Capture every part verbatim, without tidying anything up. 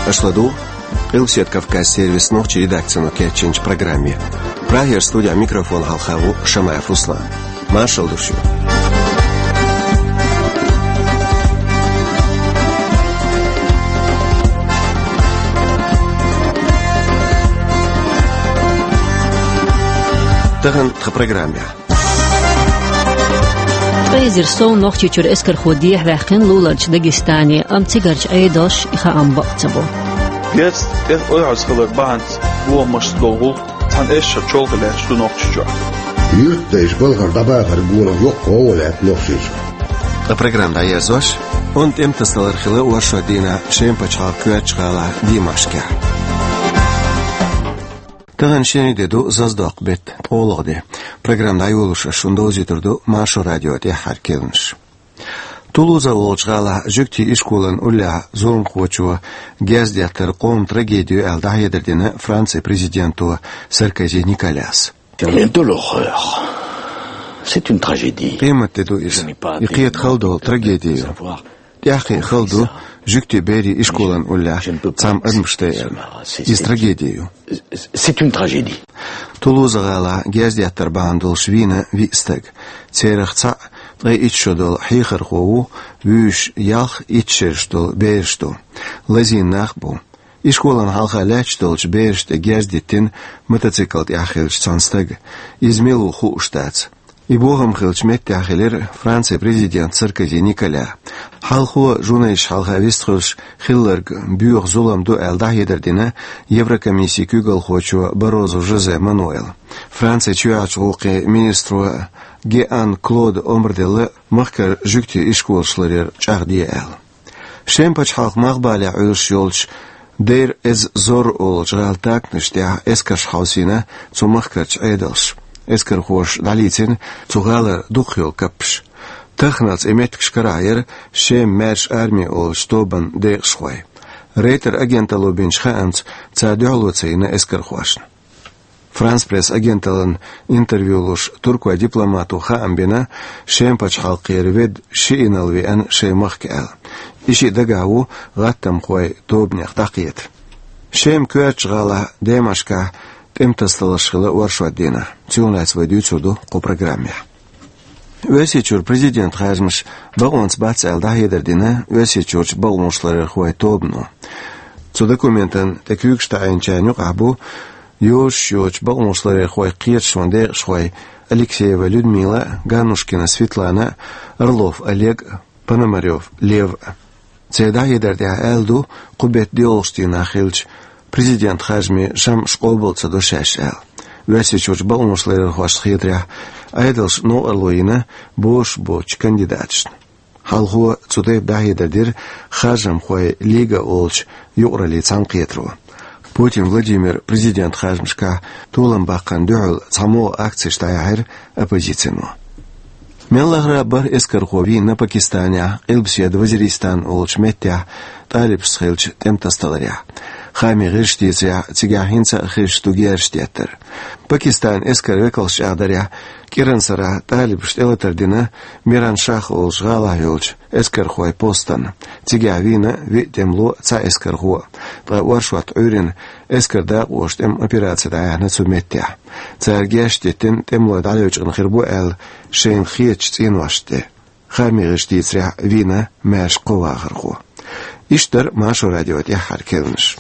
Аша ладугӀу Къилбаседа Кавказ сервисан нохчийн редакцино кечйинчу программе. Прагера студехь микрофон хьалха ву Шамаев Руслан. Маршалла ду шуьга. Тахана тхан программехь. Ткъе эзар сов Нохчийчуьра эскархо дехьаваьккхина луларчу Дагестане, амма цигарчу Ӏедалша и хаам бакъ ца бо. Децна тӀе ойхьаза хилар бахьанца бохамашца долу гӀуллакх цхьана эшшара чолхе лаьтташ ду Нохчийчохь. Юьртдайша балхара дӀабахаран гонах йоккха гӀо лаьтта Нохчийчохь. Ткъа программа дӀаерзош, онда тӀематасадалар хилла оршот дийнахь Шеман пачхьалкхан коьртачу гӀалахь Димашкехь. Тахана шен де ду, Зазадоккху беттан ткъолгӀа де. Программа дӀайолош ас шуна довзуьйтур ду Маршо радион тӀаьххьара керланаш. Тулуза олучу гӀалахь жуьгтийн ишколан уллехь зуламхочо герз деттар къоман трагеди ю аьлла, дӀахьедар дина Францин президенто Саркози Николяс. Quelle horreur. C'est une tragédie. Къематде ду иза. И кхета хала долу трагеди ю. ТӀаьххье хала ду жуьгтийн берийн ишколан уллехь цхьамма адамаш тайарна. Иза трагеди ю. C'est une tragédie. Тулуза гӀалахь герз деттар бахьана долуш вийна виъ стаг. Царах цхьаъ ткъе итт шо долу хьехархо ву, вуьйш ялх, итт шераш долу бераш ду. Лазийна нах бу. Ишколан хьалха лаьтташ долчу берашна тӀе герз диттина мотоцикл тӀехь хиллачу цхьана стага. Иза мила ву хууш дац. И бохам хиллачу меттехь хилира Францин президент Саркози Николя. Хьалхо, журналисташна хьалха вистхуьлуш, хилларг боьха зулам ду аьлла, дӀахьедар дина Еврокомиссин куьйгалхочо Баррозу Жозе Мануэла. Францин чоьхьарчу гӀуллакхийн министро Геан Клода омра делла махкара жуьгтийн ишколаш ларъяр чӀагӀде аьлла. Шеман пачхьалкхан малхбалехь Ӏуьллуш йолчу Дейр-эз-Зор олучу гӀалин таканаш тӀехь эскарш хьовсийна цу махкарчу Ӏедалша. Эскархоша дӀалийцина цу гӀалара дукхах йолу каппаш. Таханалц и меттигаш карахь яра Шеман маьрша арми олучу тобанан декъашхой. Рейтер агенталло бинчу хаамца, цара дуьхьало ца йина эскархошна. Франс Пресс агенталлина интервью луш туркойн дипломато хаам бина, Шеман пачхьалкхера ведда шиъ инарла веана шайн махка аьлла. И шиъ дагахь ву гӀаттамхойн тобанех дӀакхета. Шеман коьртачу гӀалахь Димашкехь тӀематасадаларш хилла оршот дийнахь. Цунах лаьцна вай дуьйцур ду кху программехь. Оьрсийчуьра президентан харжамаш бакъонца бац аьлла, дӀахьедар дина Оьрсийчуьрчу бакъонашларъярхойн тобано. Цу документана тӀе куьйгаш таӀийначарна юкъахь бу йозуш йоцчу бакъонашларъярхойн кхеташонан декъашхой Алексеева Людмила, Ганнушкина Светлана, Орлов Олег, Пономарёв Лев. Церан дӀахьедар тӀехь аьлла ду, кху беттан доьалгӀачу дийнахь хиллачу президентан харжамийн шамъаш къобал ца до шаьш аьлла. Оьрсийчуьрчу бакъонашларъярхошна хетарехь, Ӏедалша новкъарло йина бозуш боцчу кандидаташна. Хьалхо цу тайпа дӀахьедар дира Харжамхойн лига олучу юкъараллин цхьаьнакхетаро. Путин Владимира президентан харжамашкахь толам баккхарна дуьхьал цхьамогӀа акцеш дӀаяьхьира оппозицино. Мел лахара а бархӀ эскархо вийна Пакистанехь, Къилбаседа Вазиристан олучу меттехь, талибашца хиллачу тӀематасадаларехь. Хаамийн гӀирсаша дийцарехь, цигахь хӀинца а хезаш ду герзаш деттар. Пакистанан эскаран векалша чӀагӀдарехь, кӀиранан сарахь талибаша тӀелатар дина Миран-Шах олучу гӀалахь йолчу эскархойн постана. Цигахь вийна виъ тӀемало, цхьа эскархо. Ткъа оршот Ӏуьйрина эскаран дакъоша тӀеман операци дӀаяьхьна цу меттехь. Цара герзаш диттина тӀемалой дӀалечкъина хир бу аьлла, шайна хетачу цӀеношна тӀе. Хаамийн гӀирсаша дийцарехь, вийна маьрша кхо вахархо. Иштта дара Маршо радион тӀаьххьара керланаш.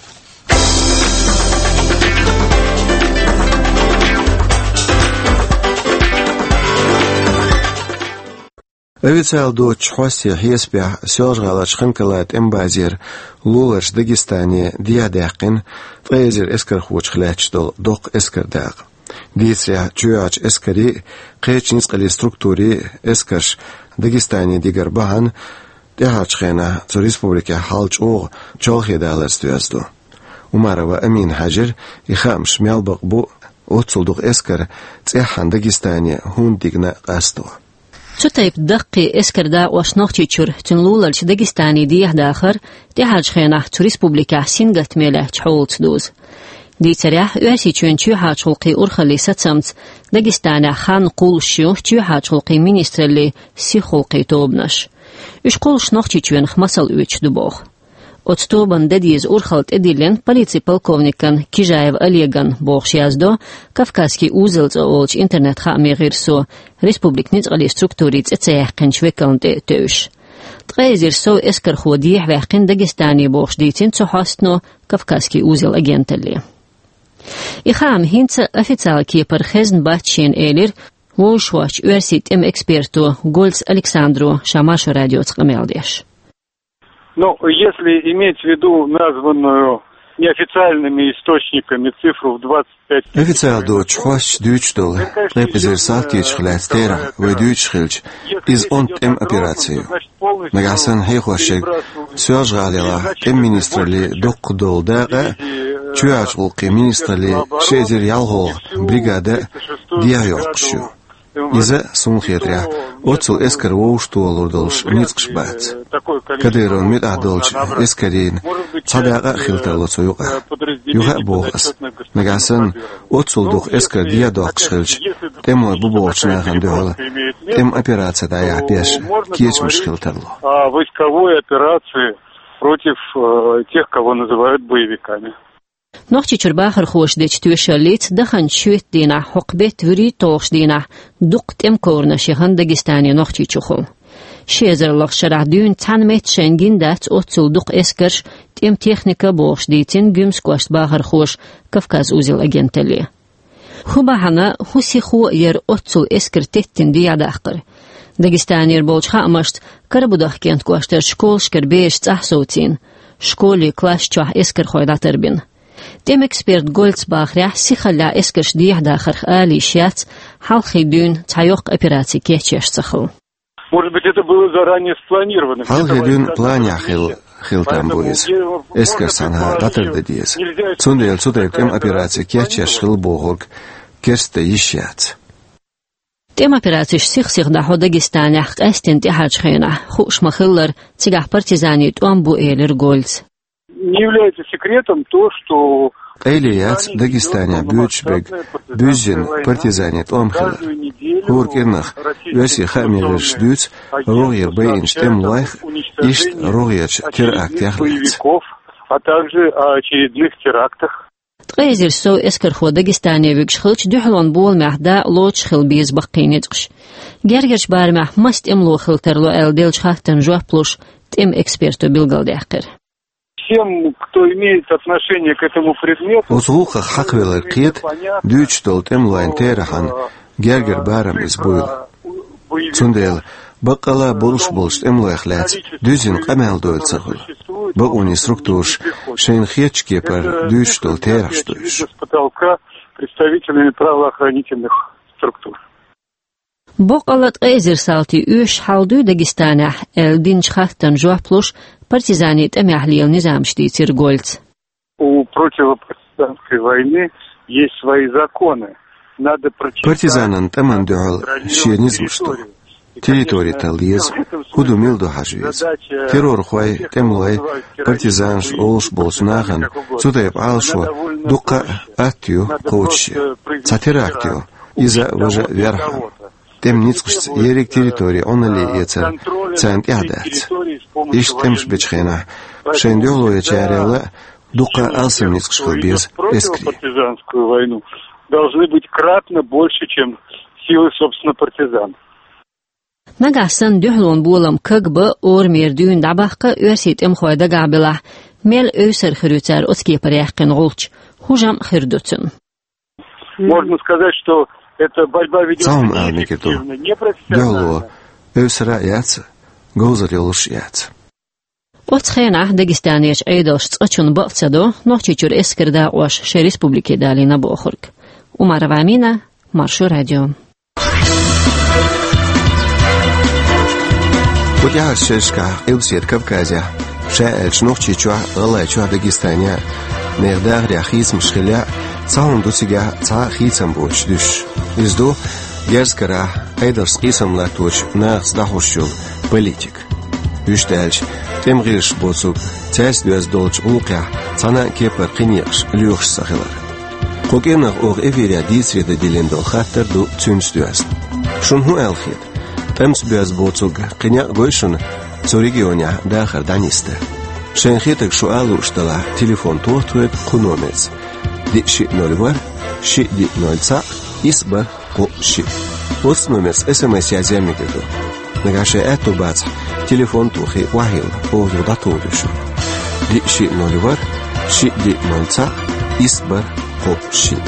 Официалан доцчу хьостийн хьесапехь, Соьлжа-ГӀаларчу Ханкалан тӀеман базера луларчу Дагестане дехьадаьккхина ткъе эзар эскархочух лаьтташ долу доккха эскаран дакъа. Дийцарехь, чоьхьарчу эскарийн а, кхечу ницкъаллин структурийн а эскарш Дагестане дигар бахьана, тӀаьхьарчу хенахь цу республикехь хьал чӀогӀа чолхе даларца доьзна ду. Умарова Амина хьаьжира, и хаамаш мел бакъ бу, оццул дукха эскар цӀеххьана Дагестане хӀунда дигна къасто. Цу тайпа даккхий эскаран дакъош Нохчийчуьра, цуьнан луларчу Дагестане дехьадахар тӀаьхьарчу хенахь цу республикехь сингаттаме лаьттачу хьолаца дузу. Дийцарехь, Оьрсийчоьнан чоьхьарчу гӀуллакхийн урхаллин сацамца Дагестанехь ханна кхуллуш ю чоьхьарчу гӀулакхийн министраллин сихгӀулакхийн тобанаш. Уьш кхуллуш Нохчийчоьнах масал оьцуш ду боху. Оцу тобанна де деза урхалла тӀедиллина полицин полковникан Кижаев Олеган, бохуш яздо «Кавказский узел» цӀе олучу интернет-хаамийн гӀирсо, республикан ницкъаллин структурийн цӀе ца яьккхинчу векална тӀе а тевжаш. Ткъе эзар сов эскархо дехьаваьккхина Дагестане, бохуш дийцина цу хьостано «Кавказский узел» агенталле. И хаам хӀинца официалан кепара хезна бац шена, элира вовшахвочу оьрсийн тӀеман эксперто Гольц Александро ша Маршо радиоца къамел деш. Ну, если иметь в виду названную неофициальными источниками цифру в двадцать пять тысяч... Официалан доцучу хьосташа дуьйцуш долу ткъе пхи эзар салтичех лаьцна терахь вай дуьйцуш хилча, иза онда тӀеман операци ю. Нагахь санна хьехош ерг Соьлжа-ГӀалахь тӀеман министраллин дуккха долу дакъа а, чоьхьарчу гӀуллакхийн министраллин ши эзар ялхолгӀа бригада а дехьайоккхуш ю. Иза, суна хетарехь, оццул эскар вовшахтохалур долуш ницкъаш бац. Кадыровн муьтӀахь долчу эскарийн цхьа дакъа а хила тарло цу юкъахь. Юха а боху ас, нагахь санна оццул дукха эскар дехьадоккхуш хилча, тӀемалой бу бохучу нахана дуьхьал тӀеман операци дӀаяхьа беш кечамаш хила тарло. А войсковой операции против, э, тех, кого называют боевиками. Нохчийчуьра бахархоша дечу тоьшаллица, даханчу шоьтан дийнахь, хӀокху беттан вуьрхӀитталгӀачу дийнахь дуккха тӀеман ковранаш яхана Дагестане Нохчийчухула. Ши эзар лахара шарахь дуьйна цхьана метта шайна гина дац оццул дукха эскарш, тӀеман техника а, бохуш дийцина Гуьмсан кӀоштан бахархоша «Кавказ узел» агенталле. ХӀун бахьана, хӀун сихо а яра оццул эскар теттина дехьадаккхар? Дагестанера болчу хаамашца, Карабудахкентан кӀоштарчу школашкара бераш цӀахь совцийна, школе класс чохь эскархой дӀатарбина. ТӀеман эксперта Гольца бахарехь, сихаллехь эскарш дехьадахарх ала йиш яц, хьалххе дуьйна цхьа йоккха операци кечъеш ца хилла. Может быть, это было заранее спланировано. Хьалххе дуьйна планехь хилла, хила там бу иза. Эскарш цхьанхьа дӀатардан деза. Цундела цу тайпа тӀеман операци кечъеш хилла бохург керста йиш яц. ТӀеман операцеш сих-сиха дӀахьо Дагестанехь къаьсттина тӀаьхьарчу хенахь, хууш ма-хиллара, цигахь партизанийн тӀом бу, элира Гольца. Не является секретом то, что... Къайле яц Дагестанехь боьдуш берг буьззина партизанийн тӀом хилар. ХӀора кӀирнах оьрсийн хаамийн гӀирсаша дуьйцу рогӀера байинчу тӀемалойх а, иштта рогӀерчу терактех а лаьцна. А также о очередных терактах. Ткъе эзар сов эскархо Дагестане вуьгуш хилча, дуьхьалонан боламехь дакъа лоцуш хила беза баккхий ницкъаш. Гергарчу барамехь маса тӀемало хила тарло аьлла деллачу хаттарна жоп луш, тӀеман эксперто билгалдаьккхира. Всем, кто имеет отношение к этому предмету... Оцу гӀуллакхах хьакхавелларг кхета дуьйцуш долу тӀемалойн терахьан гергара барам иза буйла. Цундела баккъалла а болуш болчу тӀемалойх лаьцна дуьззина къамел дойла ца хуьлу. Бакъонийн структураша шайна хетачу кепара дуьйцуш долу терахьаш ду уьш. С потолка представителями правоохранительных структур. Боккъалла ткъе эзар салтий оьшуш хьал дуй Дагестанехь аьлла динчу хаттарна жоп луш, партизанийн тӀамехь лела низамаш дийцира Гольца. У противопартизанской войны есть свои законы. Надо прочитать... Партизанан тӀамна дуьхьал шен низамаш ду. Территори тала деза, хӀун ду, мила ду хьажа веза. Террорхой, тӀемалой, партизанаш олуш болчу нахана цу тайпа Ӏалашо дуккха а атта ю кхочушъян. Цхьа теракт йо, иза важа а верхьама. ТӀеман ницкъашца ерриг территори Ӏуналле эцар царна тӀехь дац. Иштта тӀемаш бечу хенахь, шайна дуьхьало ечарел а дуккха а алсам ницкъаш хила беза эскаре. Партизанскую войну должны быть кратно больше, чем силы, собственно, партизан. Нагахь санна дуьхьалонан болам кагбан, орамера дуьйна дӀабаккха оьрсийн тӀемахой дагахь белахь, мел эвсара хир ю цара оцу кепара яьккхина гӀулч, хӀун жамӀ хир ду цуьнан? Можно сказать, что эта борьба ведётся... Цхьа хӀума ала мегар ду: дуьхьало эвсара а яц, говзар йолуш а яц. Оцу хенахь Дагестанерчу Ӏедалша цкъачунна бакъ ца до Нохчийчуьра эскаран дакъош шайн республике далийна бохург. Умарова Амина, Маршо радио. Кху тӀаьхьарчу шерашкахь Къилбаседа Кавказехь, ша аьлча Нохчийчохь а, ГӀалгӀайчохь а, Дагестанехь а, нехан дахарехь хийцамаш хилла а, цхьа хӀума ду цигахь цхьа а хийцам боцуш дуьсуш. Иза ду герз карахь Ӏедалшца къийсам латточу нахаца дӀахьош йолу политика. Вуьшта аьлча, тӀеман гӀирсаша боцург цаьрца доьзна долчу гӀуллакхехь цхьана а кепара кхин некъаш лоьхуш ца хилар. Кху кӀирнах оха эфирехь дийцаре дан диллина долу хаттар ду цуьнца доьзна. Шуна хӀун аьлла хета? ТӀемца боьзна боцург кхин некъ гой шуна цу регионехь дахар дӀанисдан? Шайн хетарг шу ала лууш далахь, телефон тоха тхоьга кху номерца: диъ шиъ ноль ворхӀ, шиъ диъ ноль цхьаъ, исс бархӀ кхоъ шиъ. Оцу номерца эс эм эс язъян мегар ду. Нагахь шайн аьтто бацахь, телефон тохий, охьайилла, оха юха дӀатухур ю шу. Диъ шиъ ноль ворхӀ, шиъ диъ ноль цхьаъ, исс бархӀ кхоъ шиъ.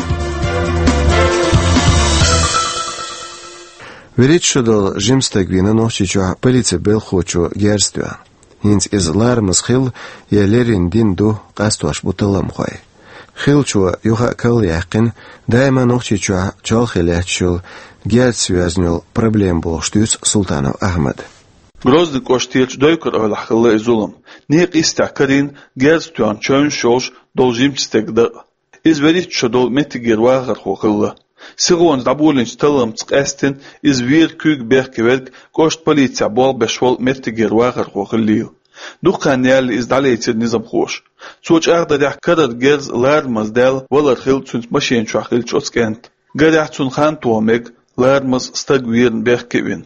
ВуьрхӀитта шо долу жима стаг вийна Нохчийчохь полицин белхахочо герз тоьхна. ХӀинца иза ларамаза хилла я леррина дина ду, къастош бу талламхой. Хиллачо юха а кхолла яьккхина, даима Нохчийчохь чолхе лаьтташ йолу герзаца йоьзна йолу проблема бохуш дуьйцу Султанов Ахьмада. Грозный кӀоштарчу Дойкар-Эвлахь хилла и зулам. Некъа йистехь карийна герз тоьхна чевнаш йолуш долу жимачу стеган дакъа. Иза вуьрхӀитта шо долу меттигера вахархо хилла. Сихонца дӀаболийначу талламца къаьстина иза вера куьйга бехке верг кӀоштан полицехь болх беш волу меттигера вахархо хиллийла. Дукха хан яьлла иза дӀалецира низамхоша. Цо чӀагӀдарехь, карара герз ларамаза даьлла валар хилла цуьнца машина чохь хиллачу оцу кӀентан. Гарехь, цунна хан тоха мега, ларамаза стаг верна бехке а вина.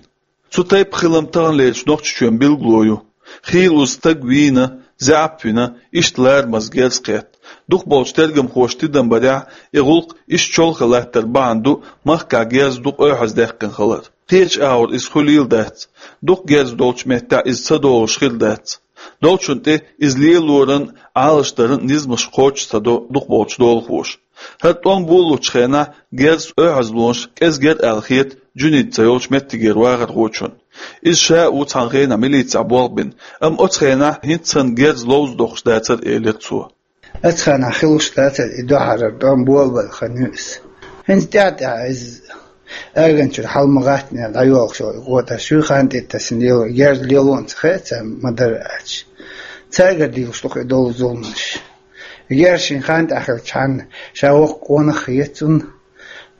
Цу тайпа хилам таханлерачу Нохчийчоьнан билгало ю. Хийла уза стаг вийна, заьӀап вина, иштта ларамаза герз кхетта. Дукхахболчу тергамхоша тидам барехь, и гӀуллакх иштта чолхе латтар бахьана ду махкахь герз дукха оьхьаздаьккхина хилар. Кхечу агӀор иза хуьлийла дац. Дукха герз долчу меттехь иза ца долуш хир дац. Долчунна тӀе иза лелоран, Ӏалашдаран низамаш кхочуш ца до дукхахболчу долахоша. ХӀара тӀом болалучу хенахь герз оьхьазлонаш кӀезиг яра аьлла хета Джунид цӀе йолчу меттигера вахархочунна. Иза ша а ву цхьана хенахь милицехь болх бина, амма оцу хенахь хӀинца санна герз ловза доккхуш дацара, элира цо. Оцу хенахь хилуш дацара и дуьххьара тӀом болабелла хан ю иза. ХӀинца тӀаьхьа-тӀаьхьа иза аганчуьра хьала ма гӀаттане дӀайолхуш йолу и къотӀаш ю, хан тӀе тасина лело, герз лело а ца хаьа царна, ма-дарра аьлча. Цаьргара дийлуш ду-кх и долу зуламаш. Герз шен хан тӀехь хилчхьана, ша воккха къонах хета цунна,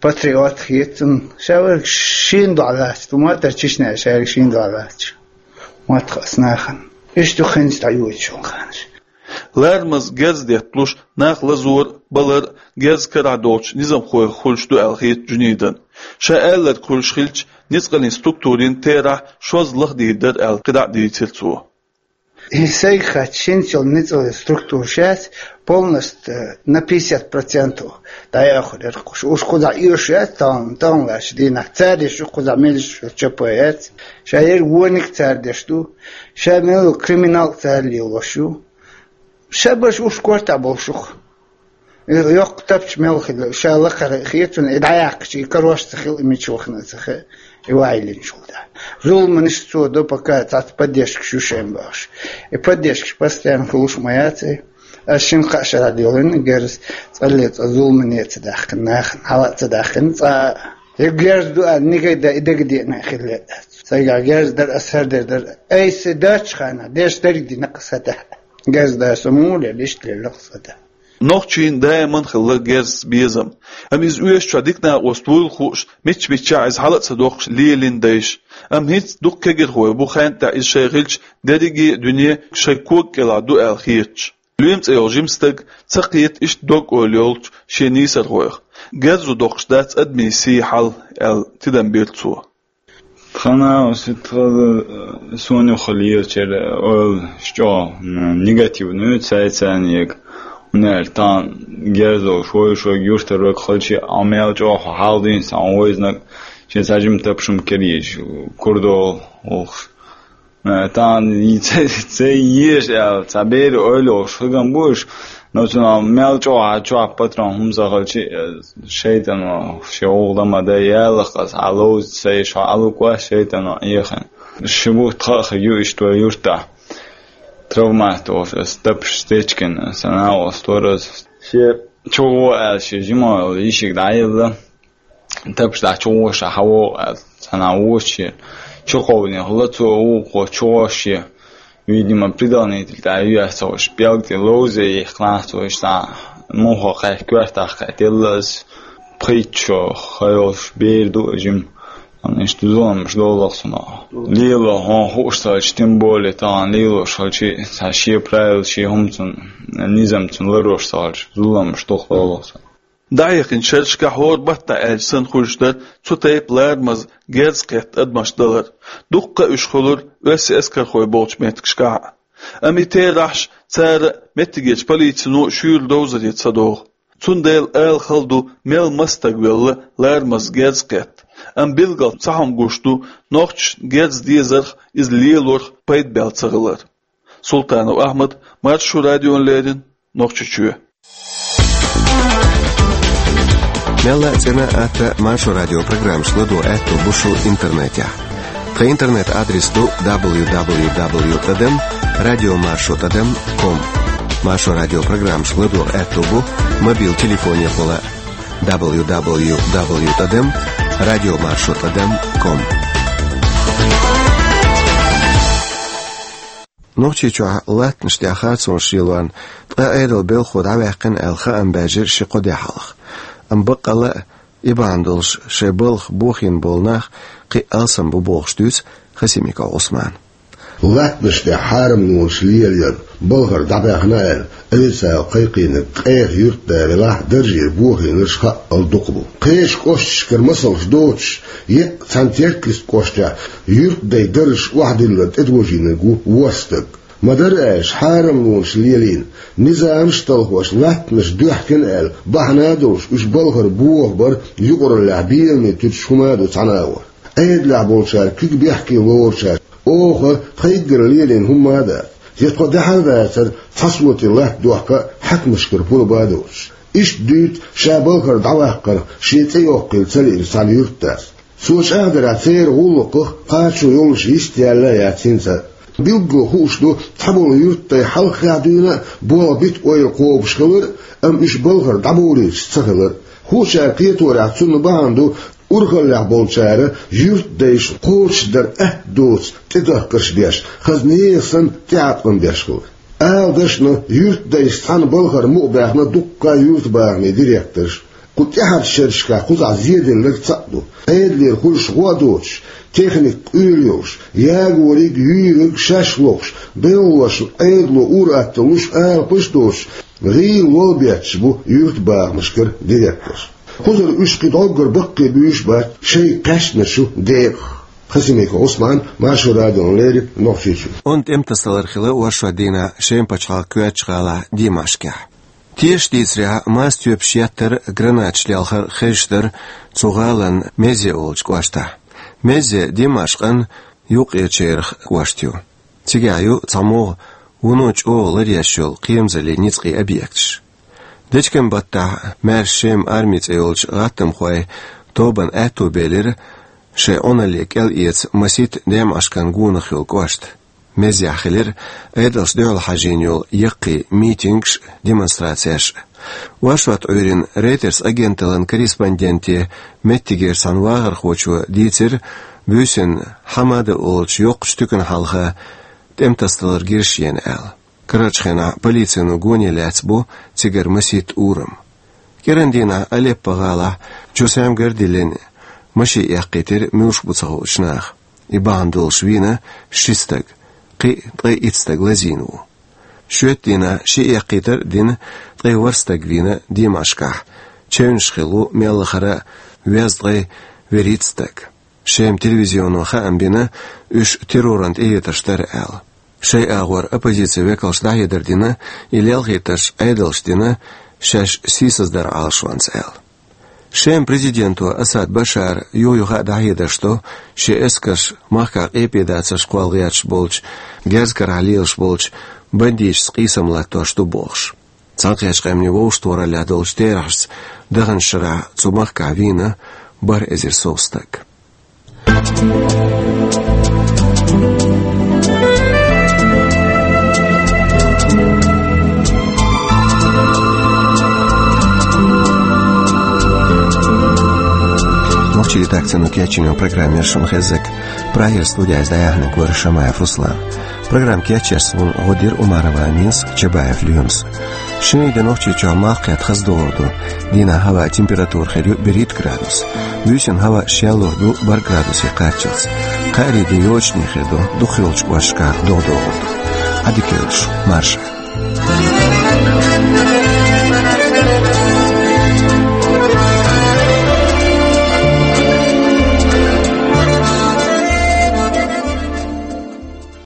патриот хета цунна, ша верг шена дуьхьал лаьцна, ма-дарра Чечняе ша верг шена дуьхьал лаьцна. Мотт хаьа нахана. Иштта ю хӀинца дӀайоьдуш йолу ханаш. Ларамаза герз детталуш, нах лазор а, балар а герз карахь долчу низамхойх хуьлуш ду аьлла хета Джунидана. Ша аьлларг хуьлуш хилча, ницкъаллин структурийн терахь шозза лаха дийр дара аьлла, кхидӀа а дийцира цо. И сайга хатта хӀинца йолу ницкъаллин структура шаьш полностью на пятьдесят процентов дӀаяхьур яра кхуш. Уьш кхузахь оьшуш яц тахана, тахана лаьттачу дийнахь. Цара деш ю кхузахь меллаша чопа яц. Ша ерг вониг цара деш ду. Ша мел криминал цара лелош ю. Ша баш уьш кортахь болуш ю-кх. И йоккха тапча мел хилла, ша лакхара хетарна, и дӀаяьккхича, и карош ца хила, и мича вахана ца хаьа, и ваийлинчул тӀаьхьа. Зуламанаш цо до, пока цхьацца поддержкаш ю шайн бохуш. И поддержкаш постоянно хуьлуш ма яц и. Ас шина-кхаа шарахь делла герз, цкъа а цкъа зуламане а ца даьккхина нахана, хьала а ца даьккхина цкъа а. И герз ду аьлла, никогда и дагадеана хилла а дац. Сайгахь герз дара, ас хӀара дер дара. Айса доцучу ханахь деш дерг дина-кх аса тӀехь. Герз дар со муха лелла, иштта лелла-кх аса тӀехь. Нохчийн даиман хилла герзаца безам. Амма иза оьшучохь дика накъост вуйла хууш, мичча-миччахь иза хьала а ца доккхуш лелийна дайша. Амма хӀинца дукха кегирхой бу ханна тӀехь иза шайн хилча, дерриге а дуьне шайн кога кӀелахь ду аьлла хеташ. Лоьма цӀе йолу жима стаг ца кхета иштта дог-ойла йолчу шен нийсархойх. Герзо доккхуш дац адамийн сий, хьал, аьлла, тидам бира цо. Тхана оцу тхан, э, суна юххе лелачеран ойла чӀогӀа, м, негативный ю, цай-цайна ега. Нер тхан герзо шой-шой юьртара вега халчи, а мел чӀогӀа хьал дийна сан вайзнаг, шен сажим тапшам керийш, курдол ухуш. Э, тхан и ца, ца еш аьлла, ца бери ойла йолуш хигам бу уьш, но цунах мел чӀогӀа чохь патрон хӀума ца халчи, э, шайтано шен гӀулгӀа ма дай, ялах аса, хьан ловза ца еш, хьо Ӏалукъа шайтано Ӏехина. Ши бутт хаа хи ю иштта вай юртахь. Травмат волуш аса тапаш стечкина, сан агӀо стораз. Шен чугӀо аьлла, шен жима йолу йишиг дӀаелла. Тапаш дӀа чугӀоша хьан вогӀу аьлла, сан агӀо вочу шен. Чукховдина хилла цо вукхо чугӀош шен. Видимо, предохранитель тӀе юьйцу уьш, пӀелг тӀе ловзе йихкинехь цо, иштта муха кхаьчча коьртах кхетта елла аса, пхийтта шо ха йолуш бер ду жима. Иштта зуламаш долу-кх цунах. Лело хьуна хууш ца хилча, тем более тахана лелош хилчи, цхьа шен правила, шен хӀума цунна, низам цунна ларош ца хилча, зуламаш дукха долу-кх цунах. ДӀахьехначу шерашкахь хӀора баттахь аьлча санна хуьлуш дара цу тайпа ларамаза герз кхетта адамаш далар. Дуккха а уьш хуьлура оьрсийн эскархой болчу меттигашкахь а. Амма и терахьаш Цара меттигерчу полицино шуьйра довзаре ца догӀу. Цундела ала хала ду, мел маса стаг велла ларамаза герз кхетта. Амма билггал цхьа хӀума гуш ду, нохчашна герз дезарх, иза лелорх пайда баьлла ца хилар. Султанов Ахьмад, Маршо радиона леррина, Нохчийчоь. Мелла а цӀена а, атта а Маршо радион программашка ладогӀа аьтто бу шун интернетехь. Тхан интернет-адрес ду дабл ю дабл ю дабл ю тӀадам радио маршо тӀадам ком. Маршо радион программашка ладогӀа аьтто бу мобил телефонехула дабл ю дабл ю дабл ю тӀадам радио маршо тӀадам ком. Нохчийчохь латтанаш тӀехь харцонаш лелорна ткъа Ӏедалан белхахо дӀаваьккхина аьлла хаам баьржира ши-кхо де хьалха. Амма баккъалла а, и бахьана долуш шайн балха бохийна болу нах кхин а алсам бу бохуш дуьйцу Хасимиков Ӏусмана. Латтанаш тӀехь хьарамлонаш лелаяр, балхара дӀабаьхна аьлла, Ӏедалца кхайкхийнарг къеха юьртда велахь, даржера бохийнарш хаъал дукха бу. Кхечу кӀошташкара масалш доцуш, еккъа цхьана Теркйист кӀоштехь юьртдайн даржаш охьадиллар тӀедожийнарг ву ворхӀ стаг. Ма-дарра аьлча, хьарамлонаш лелийна, низамаш а талхош, латтанаш доьхкина аьлла, бахьана а долуш, уьш балхара бохабар юкъараллехь беламе туьтуш хӀума а ду цхьана агӀор. Ӏедалехь болчара куьг бехке лоручара: «Оха тхайггара лелийна хӀума а дац, я тхо даьхьар а дацара цхьа соти латта дохка а, хьаькамашкара пурба а доцуш». Иштта дуьйцу ша балхара дӀаваккхарх шен цӀе йоккхийла ца лиъначу цхьана юьртдас. Цо чӀагӀдарехь, церан гӀуллакхах кхачо йолуш йист яьлла а яц хӀинца а. Билггал хууш ду цхьаболу юьртдай хьалххехь дуьйна а болх бита ойла кхобуш хилар а, амма уьш балхара дӀабовлийташ ца хилар а. Хуучара кхеторехь, цунна бахьана ду урхаллехь болчара юьртдайшна кхочушдар атта доцу тӀедахкарш беш, хаза нехан санна тӀеӀаткъам беш хилар. Ала дашна, юьртдайшца цхьаьна балхара мукъабаьхна дуккха а юьртабахамийн директорш. Кху тӀаьхьарчу шерашкахь кхузахь зеделларг цхьаъ ду: Ӏедалера хуьлуш гӀо а доцуш, техника къоьлла йолуш, ягориг, юьйриг шаьш лохуш, белхалошна Ӏедало ур-атталла луш, алапаш а доцуш, гӀийла лол бетташ бу юьртабахамашкара директорш. Кхузара уьш кхин дӀоггара баккхий буьйш а бац шайга кхаьчначу декъах. Хасимиков Ӏусман, Маршо радиона леррина, Нохчийчуьра. Онда тӀематасадалар хилла оршот дийнахь Шеман пачхьалкхан коьртачу гӀалахь Димашкехь. Тешаш дийцарехь, мас тоьпаш еттар а, гранаташ лелхар а хезаш дара цу гӀалин Мезье олучу кӀоштахь. Мезье Димашкъан юккъерачерах кӀошт ю. Цигахь ю цхьамогӀа вуно чӀогӀа ларъеш йолу кхерамзаллин ницкъийн объекташ. Дечкен-баттахь маьрша Шеман арми цӀе йолчу гӀаттамхойн тобанна аьтто белира шайн Ӏуналле кӀел эца масийтта Димашкъан гонах йолу кӀошт. Мезьехь хилира Ӏедалшна дуьхьал хьажийна йолу яккхий митингаш а, демонстрацеш а. Оршот Ӏуьйранна Рейтерс агенталлин корреспонденте меттигера цхьана вахархочо дийцира, буьйсанна Хьамада олучу йоккхачу туькана хьалха тӀематасадалар гира шена аьлла. Карарчу хенахь полицино гоне лаьцна бу цигара масийтта урам. КӀиран дийнахь Алеппо гӀалахь Чусем гардиллина машен эккхийтира муьлш бу ца хуучу наха. И бахьана долуш вийна ши стаг, кхин а ткъе итт стаг лазийна ву. Шоьтан дийнахь ши эккхийтар а дина, ткъе ворхӀ стаг вийна Димашкъехь, чевнаш хилла ву мел лахара а везткъе вуьрхӀитта стаг. Шеман телевизионо хаам бина, уьш терроран тӀехетарш дара аьлла. Шайн агӀор оппозицин векалша дӀахьедар дина, и лелхийтарш Ӏедалша дина шаьш сийсаздаран Ӏалашонца аьлла. Шеман президенто Асад Башара юх-юха а дӀахьедарш до, шен эскарш махкахь къепедацарш кхолла гӀерташ болчу, герз карахь лелаш болчу бандиташца къийсам латтош ду бохуш. Цхьаьнакхеттачу Къаьмнийн Вовшахтохараллехь долчу терахьашца даханчу шарахь цу махкахь вийна бархӀ эзар сов стаг. Нохчийн редакцино кечйина программа яра шуна хезнарг. Прагера студехь иза дӀаяьхьнарг вара Шамаев Руслан. Программа кечъеш вуна гӀо дира Умарова Аминас, Чабаев Лоьмас. Шинарин де Нохчийчохь малх кхетта хаза догӀур ду. Дийнахь хӀаваан температура хир ю берхӀитта градус. Буьйсанна хӀаваъ шеллур ду бархӀ градусе кхаччалц. Кхаарин де йочане хир ду, дукхахйолчу кӀошташкахь догӀа догӀур ду. Ӏадика йойла шу, марша.